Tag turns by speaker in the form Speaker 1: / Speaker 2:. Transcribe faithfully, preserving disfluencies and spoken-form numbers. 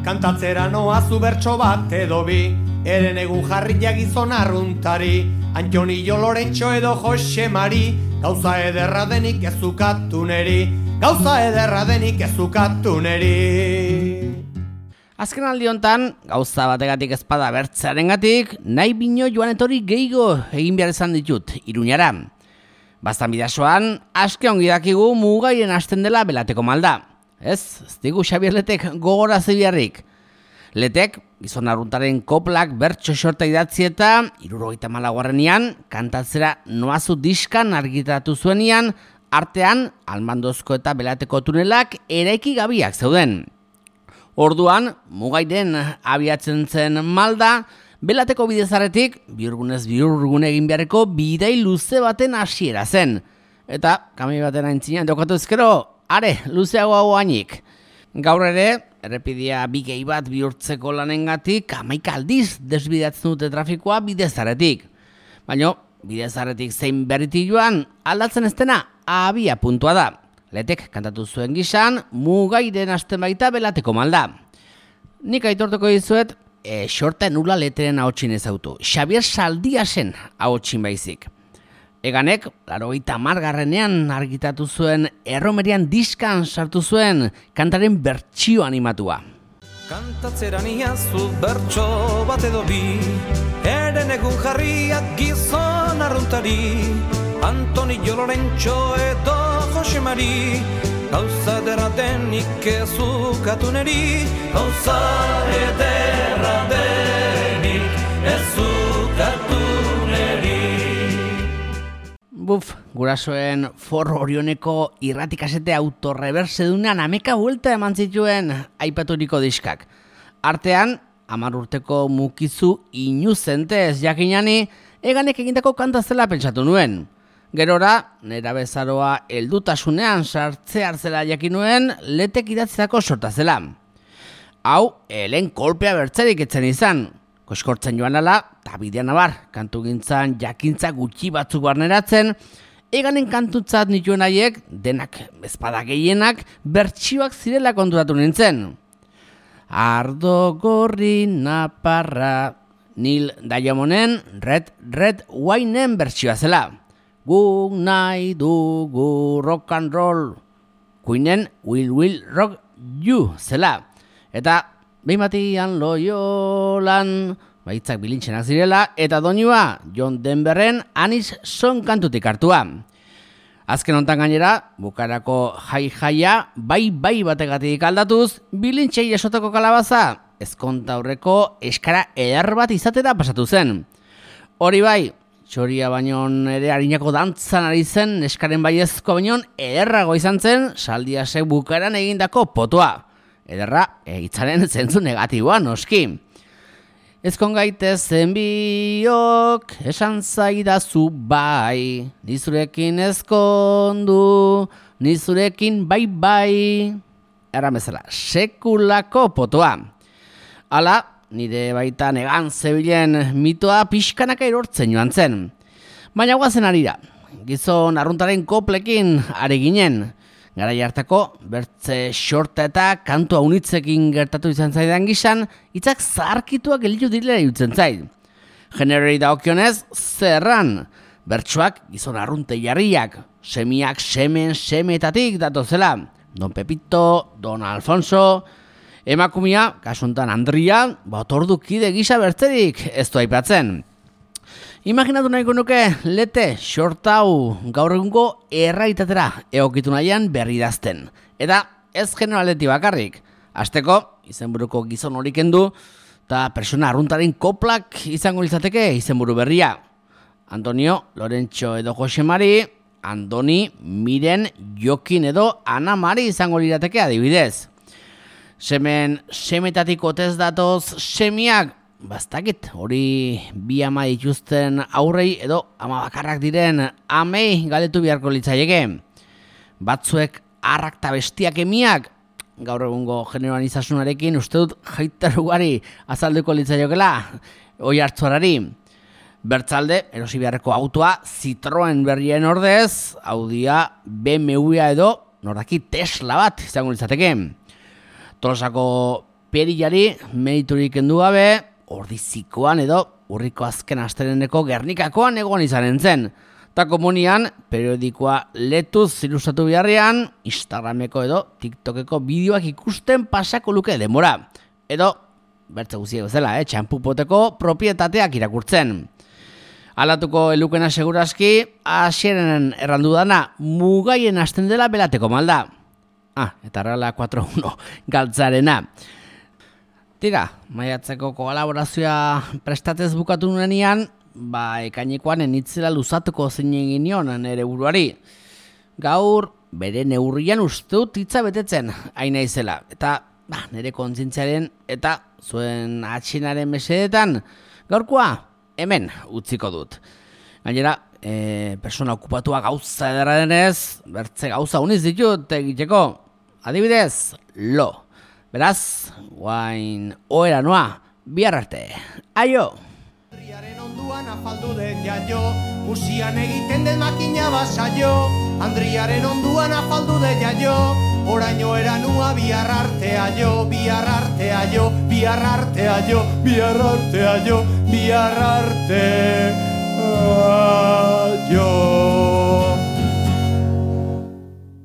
Speaker 1: kantatzera noazu bertso bat edo bi, eren egun jarriak gizon arruntari, Antonio Lorentxo edo Jose Mari, gauza ederra denik ezukatu neri, gauza ederra denik ezukatu neri.
Speaker 2: Azken aldi hontan, gauza bategatik ezpada bertzearengatik, nahi bino joan etorri gehigo egin behar izan ditut, Iruñara. Bastan bidasoan, aske ongi dakigu mugaien hasten dela Belateko malda. Ez, ez digu Xabier Letek gogora zibiarrik. Letek, gizon arruntaren koplak bertso xorta idatzi eta hirurogeita hamalaugarrenean kantatzera noazu diskan argitaratu zuenian, artean Almandozko eta Belateko tunelak eraiki gabiak zeuden. Orduan, mugairen abiatzen zen malda, Belateko bidezarretik bihurgunez bihurgun egin beharreko bidai luze baten hasiera zen. Eta, kami baten aintzinean jokatu ezkero, are, luzeago hau hainik. Gaur ere, errepidia bigei bat bihurtzeko lanengatik hamaika aldiz desbidatzen dute trafikoa bidezarretik. Baina, bidezarretik zein berriti joan, aldatzen ez dena abia puntua da. Letek kantatu zuen gisan, mugairen hasten baita Belateko malda. Nik aitortuko dizuet, e, xorta nula leteren ahotsin ezautu. Xabier Saldiasen ahotsin baizik. Eganek, laurogeita hamargarrenean argitatu zuen erromerian diskan sartu zuen kantaren bertsio animatua.
Speaker 3: Kantatzeran iazu bertso bat edo bi, eren egun jarriak gizon arruntari, Antonio Lorentxo edo Jose Mari, gauza ederra denik ezukatu neri, gauza ederra denik ezukatu neri.
Speaker 2: Buf, gurasoen forro orioneko irratikasete autorrebersedunan ameka buelta eman zituen aipaturiko diskak. Artean, hamar urteko mukizu inuzente ez jakinani, eganek egindako kanta zela pentsatu nuen. Gerora, nera bezaroa heldutasunean sartzea hartzela jakin nuen, Letek idatzitako sorta zela. Hau, helen kolpea bertzerik etzen izan. Koskortzen joan ala, eta bidean abar, kantu gintzan jakintza gutxi batzuk barneratzen, eganen kantutzat nituen haiek, denak ezpada gehienak, bertsioak zirela konturatu nintzen. Ardo gorri naparra, Nil Diamonden Red Red Wine-en bertsioa zela. Guk nahi dugu rock and roll, Queen-en Will Will Rock You zela. Eta behin batian Loyolan, baitzak bilintzenak zirela, eta doinua John Denverren Anis Song kantutik hartua. Azken hontan gainera, bukarako jai-jaia bai bai bategatik aldatuz, bilintzei esotako kalabaza, ezkonta aurreko eskara eder bat izatera pasatu zen. Hori bai, txoria baino ere harinako dantzan ari zen, eskaren baiezko baino ederrago izan zen, Saldiasek bukaran egindako potoa. Ederra, hitzaren zentzu negatiboa noski. Ezkon gaitezen biok, esan zaidazu bai, nizurekin ezkondu, nizurekin bai bai. Erran bezala, sekulako potoa. Hala, nire baita negan zebilen mitoa pixkanaka erortzen joan zen. Baina guazen arira, gizon arruntaren koplekin are ginen. Garai hartako, bertze xorta eta kantu haunitzekin gertatu izan zaidan gizan, hitzak zaharkituak elitu direla irutzen zait. Generori daokionez, zerran, bertsoak gizon arrunte jarriak, semiak semen semetatik datozela. Don Pepito, Don Alfonso, emakumia, kasuntan Andria, botordukide gisa bertzerik ez du aipatzen. Imaginatu nahiko nuke, Lete, xortau gaur egungo erraitatera egokitu nahian berri idazten. Eta ez generaleti bakarrik. Hasteko, izenburuko gizon hori kendu, eta persona arruntaren koplak izango litzateke izenburu berria. Antonio, Lorentxo edo Jose Mari, Andoni, Miren, Jokin edo Ana Mari izango lirateke adibidez. Semen, semetatik otez datoz semiak, bastakit, hori bi ama dituzten aurrei edo ama bakarrak diren amei galetu beharko litzaieke. Batzuek arrak eta bestiak emiak, gaur egungo generoan izasunarekin uste dut jaiterugari azalduko litzaiokela, oi hartzuarari. Bertzalde, erosi beharreko autoa Citroen berrien ordez, Audia, B M W edo nordaki Tesla bat izango litzateke. Tolosako perillari meriturik kendu gabe, ordizikoan edo urriko azken astereneko Gernikakoan egon izanen zen. Ta komunian, periodikoa letuz ilustratu biharrean, Instagrameko edo TikTokeko bideoak ikusten pasako luke denbora. Edo, bertze guziek bezala, eh, txampupoteko propietateak irakurtzen. Alatuko elukena segurazki, asieren errandu dana, mugaien hasten dela belateko malda. Ah, eta Reala lau uno galtzarena. Tira, maiatzeko kolaborazioa prestatez bukatu nuenean, ba, ekainekoan enitzela luzatuko zein egin nion nere buruari. Gaur, bere neurrian uste dut hitza betetzen, haina izela. Eta, ba, nere kontzientziaren eta zuen atxinaren mesedetan, gaurkoa, hemen utziko dut. Gainera, e, persona okupatua gauza ederra denez, bertze gauza uniz ditut egiteko. Adibidez, lo. Beraz, guain oera noa, bihar arte. Aio!
Speaker 1: Andriaren onduan afaldu den jaio, usian egiten den makina basaio. Andriaren onduan afaldu den jaio, oraino eranua bihar artea jo, bihar artea jo, bihar artea jo, bihar artea jo, bihar artea jo.